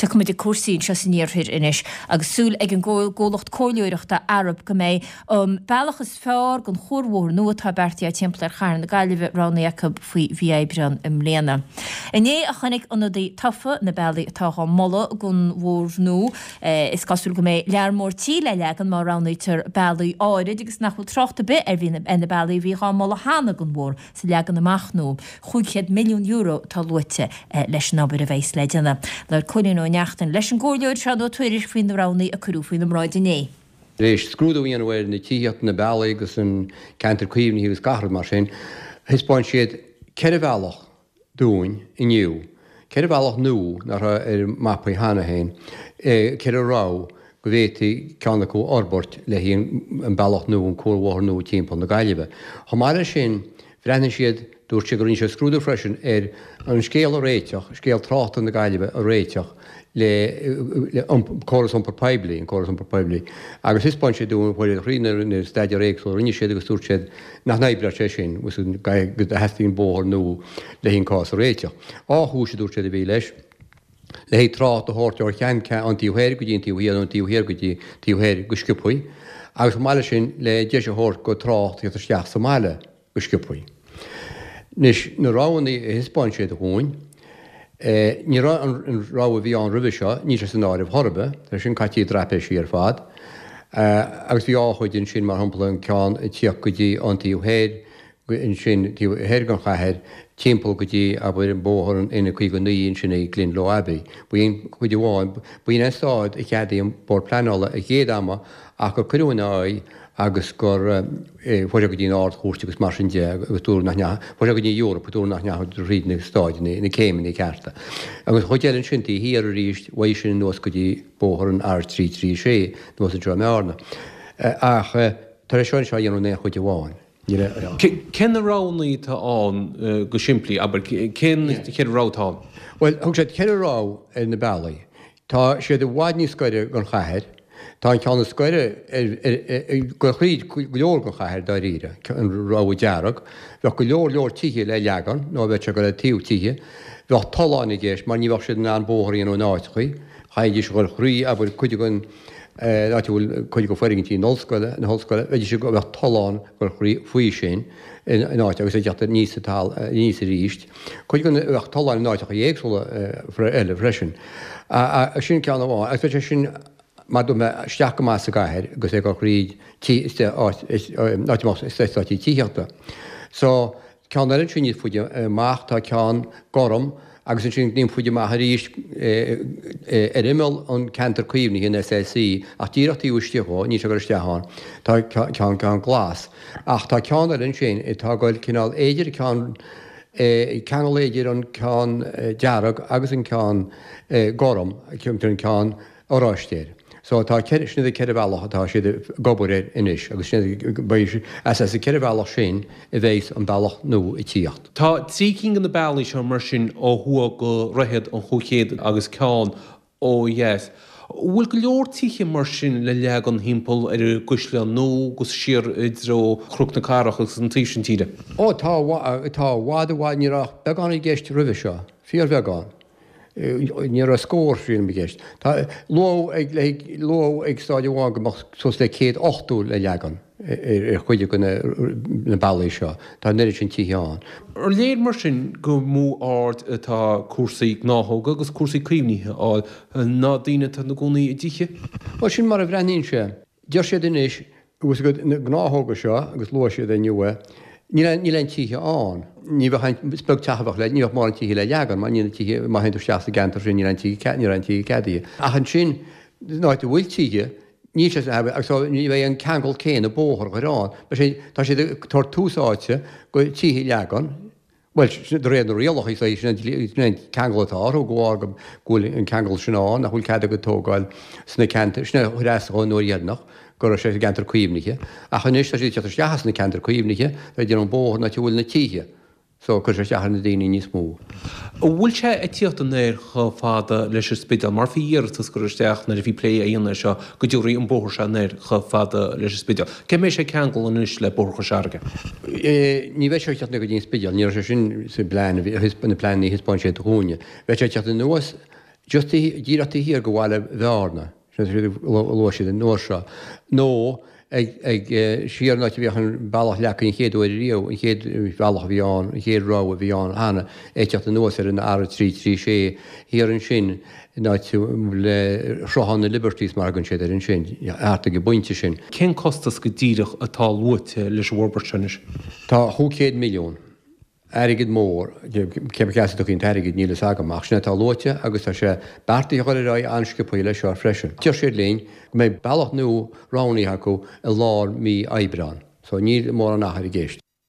Tiocfaidh muid ag cúrsaí anseo san iarthar anois agus súil ag an gcomhlacht comhairleoireachta Arup go mbeidh an bealach is fearr don chuarbhóthar nua atá beartaithe timpeall ar chathair na Gaillimhe roghnaithe acu faoi mhí Aibreán i mbliana. Inné a chonaic ionadaithe tofa na bealaí atá á moladh don bhóthar nua. Is cosúil go mbeidh lear mór tí le leagan má roghnaítear bealaí áirid agus nach bhfuil trácht ar bith ar na bealaí a bhí dhá moladh cheana don bhóthar sa leagan amach nua. €500 milliún atá luaite leis an obair a bheas le déanamh. Labhair Cóilín Ó Neachtain leis an gComhairleoir Seán Ó Tuairisg faoi na roghanna a cuireadh faoina mbráid inné. Tar éis scrúdú a dhéanamh ar na tithíocht, na bealaí agus an ceantar caomhnaithe agus gach rud mar sin, thaispeáin siad 4 bhealach dúinn inniu, 4 bhealach nua nach raibh ar an mapaí cheana féin, 4 rogha go bhféadfaí ceann acu a fhorbairt le haghaidh an bealach nua, an cuarbhóthar nua timpeall na Gaillimhe. Chomh maith leis sin, bhreathnaigh siad, dúirt siad go rinne siad scrúdú freisin ar an scéal a réiteach, scéal tráchta na Gaillimhe a réiteach le córas iompair poiblí, an córas iompair poiblí, agus thaispeáin siad dúinn, chuir siad thríd na staidéir éagsúla a rinne siad agus dúirt siad nach n-oibreodh sé sin, go dteastaíonn bóthar nua le haghaidh an cás a réiteach. Dhá chúis a dúirt siad a bhí leis. le haghaidh trácht a thabhairt ó cheann ón taobh thoir go dtí an taobh thiar nó ón taobh thiar go dtí taobh thoir go sciobthaí agus chomh maith leis sin le deis a thabhairt go trácht theacht isteach sa mbaile go sciobthaí. Anois, na roghanna a thaispeáin siad dhúinn, ní raibh an rogha a bhí ann roimhe seo, níl sé san áireamh chor ar bith, tá sin caite i dtraipéisí ar fad, agus bhí dhá chuid ansin, mar shampla an ceann ag tíocht go dtí an taobh thoir, ansin taobh thoir den chathair, timpeall go dtí, abair, an bóthar an N59 ansin ag Glendalough Abbey. B'in cuid amháin. B'in an staid a cheadaigh an Bord Pleanála an chéad ama ach gur cuireadh ina aghaidh agus gur chuaigh sé go dtí an Ard-Chúirt agus mar sin de agus dúradh nach ndeachaigh, chuaigh sé go dtí an Eoraip agus dúradh nach ndeachaigh thríd na stáideanna, na céimeanna cearta. Agus an chuid eile ansin taobh thiar arís, uaidh sin anuas go dtí bóthar an R336 anuas anseo i mBearna. Ach tar éis seo anseo a dhéanamh in aon chuid amháin. Cé na roghanna atá ann go simplí, abair, cén cheithre rogha atá ann? Bhuel, thug siad 4 rogha ar na bealaí. Tá siad i bhfad níos gaire don chathair. Tá an ceann is gaire ag dul thríd go leor den chathair dáiríre, an rogha dearg. Bheadh go leor leor tithe le leagan, nó bheadh sé ag dul le taobh tithe. Bheadh tolláin i gceist mar ní bheadh siad in ann bóthar a dhéanamh in áiteachaí. Chaithfidís a dhul thrí, abair, cuid den an áit a bhfuil cuid de foirgintí na hollscoile, na hollscoile, bheidís ag, bheadh tollán ag dul faoi sin in áit agus ag teacht aníos an aníos arís. Cuid den, bheadh tolláin in áiteacha éagsúla eile freisin. Sin ceann amháin. Agus bheadh sé sin, mar dúirt mé, isteach go maith sa gcathair agus é ag dul thríd tí, áit, áit a mbeadh eastáití tithíochta. So, Ceann eile ansin níos faide amach, tá ceann gorm agus ansin níos faide amach arís ar imeall an ceantar caomhnaithe, an SAC, ach díreach taobh istigh dhó, níl sé ag dul isteach ann, tá ceann ceann glas. Ach tá ceann eile ansin atá ag dul cineál idir ceann, ceangal idir an ceann dearg agus an ceann gorm, an ceann oráiste air. So tá sin iad na 4 bhealach atá siad ag obair air anois agus sin iad, beidh, as as na 4 bhealach sin a bheidhs an bealach nua ag tíocht. Tá 3 cinn de na bealaí seo mar sin ó thuaidh go Dhroichead an Chúig Chéad agus ceann ó dheas. Bhfuil go leor tithe mar sin le leagan thimpeall ar an gCaisleán Nua agus siar i dtreo Chnoc na Cathrach agus an taobh sin tíre? Ó tá, tá, i bhfad, i bhfad, ní raibh ach beagán i gceist roimhe seo, fíorbheagán. Ní raibh scór sílim i gceist. Tá luadh ag le luadh ag stáid amháin go mbeadh suas le 180 le leagan ar chuid de na bealaí seo. Tá an oiread sin tithe ann. Ar léir mar sin gur mó aird atá cúrsaí gnáthóga agus cúrsaí caomhnaithe a fháil ná daoine atá ina gcónaí i dtithe? Bhuel, sin mar a bhreathnaíonn sé. Deir siad anois, agus na gnáthóga seo, agus luaigh siad é inniu é, níl aon, níl aon tithe ann. Ní bheadh aon, is beag teach a bheadh le, ní bheadh mórán tithe le leagan, mar níl na tithe, má théann tú isteach sa gceantar sin, níl aon tithe, níl aon tithe ceadaithe. Ach ansin, san áit a bhfuil tithe, níl sé san, agus so ní bheidh an ceangal céanna bóthar a chur ann. Beidh sé, tá siad ag tabhairt tús áite go tithe a leagan, Bhuel, de réir na rialacha, is é sin an ceangal atá orthu, go bhfág go bhfuil an ceangal sin ann, nach bhfuil cead acu tógáil sna ceantair, sin a chuir as dhó an uair dheireanach, go raibh sé sa gceantar caomhnaithe. Ach anois tá siad ag teacht isteach as na ceantair caomhnaithe, tá ag déanamh an bóthar in áit a bhfuil na tithe. So, cuirfidh sé isteach ar na daoine níos mó. An bhfuil sé ag tíocht anoir chomh fada leis an Spidéal? Mar bhí iarratas curtha isteach nuair a bhí plé á dhéanamh air seo go dtiúrfaí an bóthar seo anoir chomh fada leis an Spidéal. Cé mbeidh sé ag ceangal anois le Bóthar Chois Fharraige? Ní bheidh sé ag teacht go dtí an Spidéal, ní raibh sé sin sa bplean, na pleananna a thaispeáin siad dhúinne. Bheadh sé ag teacht anuas Just díreach taobh thiar de bhaile Bhearna, sin a luaigh siad an uair seo, nó ag, ag, siar an áit a bhíodh an bealach leagtha an chéad uair ariamh, an chéad bhealach a bhí ann, an chéad rogha a bhí ann cheana, ag teacht anuas ar an R336 thiar ansin, in áit a bhfuil Sruthán na Liberties mar a thugann siad air ansin, thart ag an bpointe sin. Cén costas go díreach atá luaite leis an bhforbairt seo anois? Tá 500 milliún. Airgead mór, cé as a dtiocfaidh an t-airgead níl fhios agam, ach sin é atá luaite agus tá sé beartaithe a dhul ar aghaidh an-sciobtha leis seo freisin. Deir siad linn go mbeidh bealach nua roghnaithe acu i lár mí Aibreán, so níl mórán achair i gceist.